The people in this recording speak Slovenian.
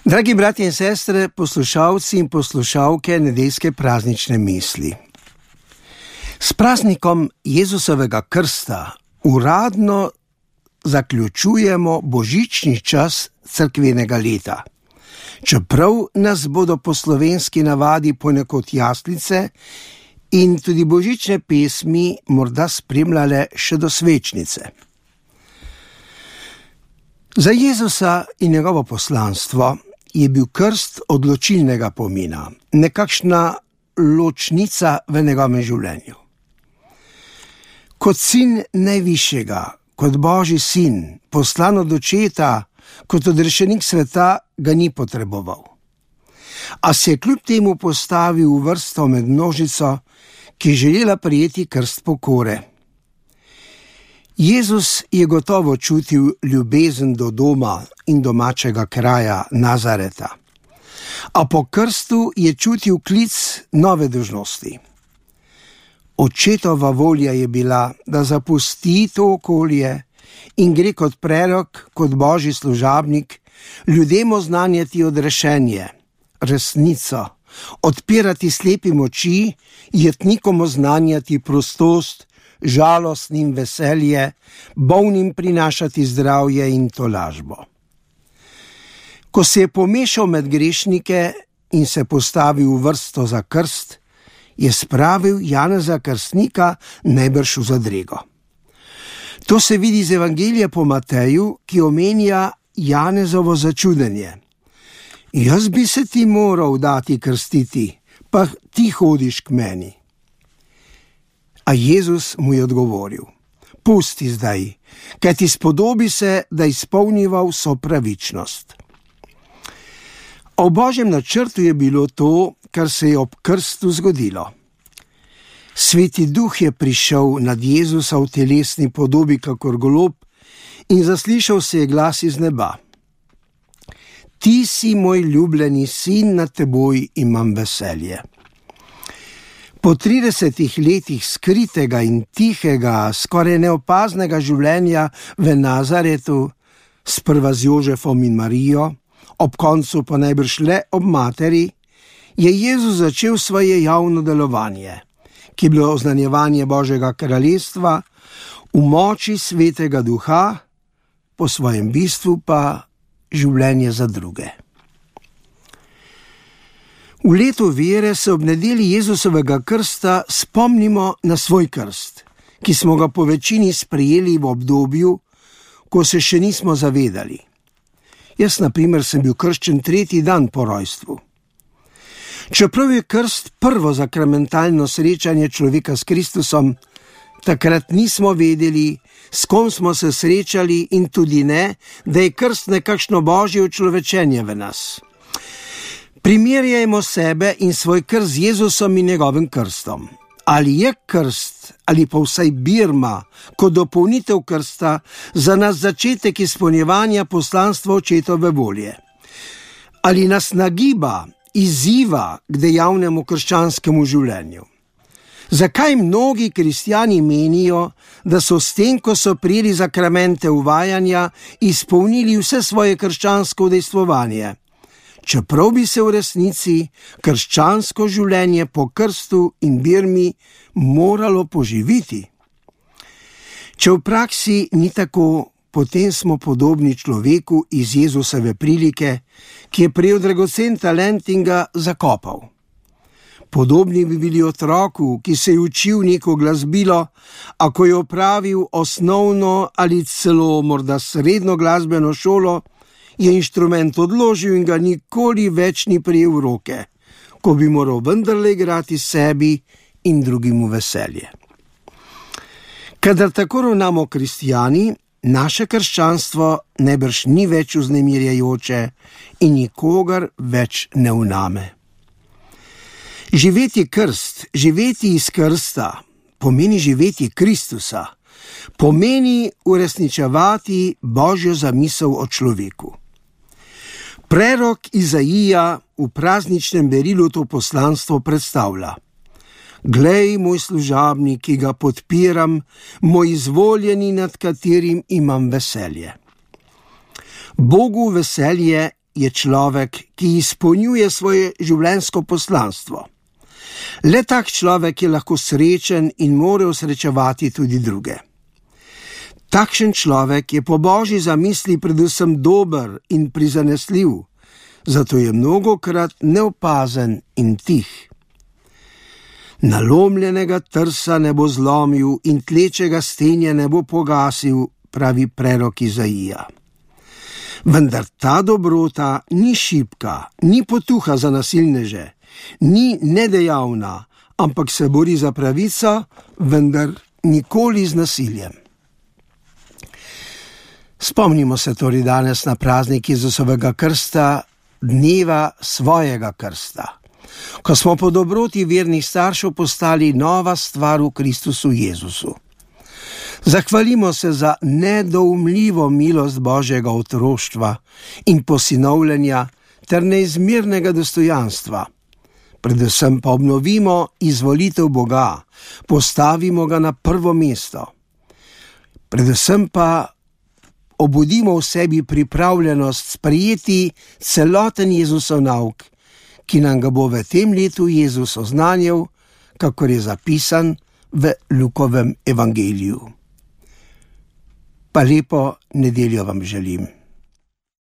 Dragi bratje in sestre, poslušalci in poslušalke nedeljske praznične misli. S praznikom Jezusovega krsta uradno zaključujemo božični čas cerkvenega leta. Čeprav nas bodo po slovenski navadi ponekod jaslice in tudi božične pesmi morda spremljale še do svečnice. Za Jezusa in njegovo poslanstvo je bil krst odločilnega pomena, nekakšna ločnica v njegovem življenju. Kot sin najvišjega, kot Božji sin, poslan od očeta, kot odrešenik sveta, ga ni potreboval. A se je kljub temu postavil v vrsto med množico, ki je želela prijeti krst pokore. Jezus je gotovo čutil ljubezen do doma in domačega kraja Nazareta, a po krstu je čutil klic nove dolžnosti. Očetova volja je bila, da zapusti to okolje in gre kot prerok, kot Božji služabnik, ljudem oznanjati odrešenje, resnico, odpirati slepim oči, jetnikom oznanjati prostost, žalostnim veselje, bolnim prinašati zdravje in tolažbo. Ko se je pomešal med grešnike in se postavil v vrsto za krst, je spravil Janeza Krstnika najbrž v zadrego. To se vidi iz Evangelija po Mateju, ki omenja Janezovo začudenje. Jaz bi se ti moral dati krstiti, pa ti hodiš k meni. A Jezus mu je odgovoril: pusti zdaj, kajti spodobi se, da izpolniva vso pravičnost. O Božjem načrtu je bilo to, kar se je ob krstu zgodilo. Sveti Duh je prišel nad Jezusa v telesni podobi kakor golob in zaslišal se je glas iz neba: ti si moj ljubljeni sin, nad teboj imam veselje. Po 30 letih skritega in tihega, skoraj neopaznega življenja v Nazaretu, sprva z Jožefom in Marijo, ob koncu pa najbrž le ob materi, je Jezus začel svoje javno delovanje, ki je bilo oznanjevanje Božjega kraljestva v moči Svetega Duha, po svojem bistvu pa življenje za druge. V letu vere se ob nedelji Jezusovega krsta spomnimo na svoj krst, ki smo ga po večini sprejeli v obdobju, ko se še nismo zavedali. Jaz, na primer, sem bil krščen 3. dan po rojstvu. Čeprav je krst prvo sakramentalno srečanje človeka s Kristusom, takrat nismo vedeli, s kom smo se srečali in tudi ne, da je krst nekakšno Božje učlovečenje v nas. Primerjajmo sebe in svoj krst z Jezusom in njegovim krstom. Ali je krst, ali pa vsaj birma, kot dopolnitev krsta, za nas začetek izpolnjevanja poslanstva očetove volje? Ali nas nagiba, izziva k dejavnemu krščanskemu življenju? Zakaj mnogi kristjani menijo, da so s tem, ko so prijeli zakramente uvajanja, izpolnili vse svoje krščansko udejstvovanje? Čeprav bi se v resnici krščansko življenje po krstu in birmi moralo poživiti. Če v praksi ni tako, potem smo podobni človeku iz Jezusove prilike, ki je prejel dragocen talent in ga zakopal. Podobni bi bili otroku, ki se je učil neko glasbilo, a ko je opravil osnovno ali celo morda srednjo glasbeno šolo, je inštrument odložil in ga nikoli več ni prijel v roke, ko bi moral vendarle igrati sebi in drugim v veselje. Kadar tako ravnamo kristjani, naše krščanstvo najbrž ni več vznemirjajoče in nikogar več ne vname. Živeti krst, živeti iz krsta, pomeni živeti Kristusa, pomeni uresničevati Božjo zamisel o človeku. Prerok Izaija v prazničnem berilu to poslanstvo predstavlja: glej, moj služabnik, ki ga podpiram, moj izvoljeni, nad katerim imam veselje. Bogu veselje je človek, ki izpolnjuje svoje življenjsko poslanstvo. Le tak človek je lahko srečen in more osrečevati tudi druge. Takšen človek je po Božji zamisli predvsem dober in prizanesljiv, zato je mnogokrat neopazen in tih. Nalomljenega trsa ne bo zlomil in tlečega stenja ne bo pogasil, pravi prerok Izaija. Vendar ta dobrota ni šibka, ni potuha za nasilneže, ni nedejavna, ampak se bori za pravico, vendar nikoli z nasiljem. Spomnimo se torej danes na praznik Jezusovega krsta, dneva svojega krsta, ko smo po dobroti vernih staršev postali nova stvar v Kristusu Jezusu. Zahvalimo se za nedoumljivo milost Božjega otroštva in posinovljenja ter neizmernega dostojanstva. Predvsem pa obnovimo izvolitev Boga, postavimo ga na prvo mesto. Predvsem pa obudimo v sebi pripravljenost sprejeti celoten Jezusov nauk, ki nam ga bo v tem letu Jezus oznanjal, kakor je zapisan v Lukovem evangeliju. Pa lepo nedeljo vam želim.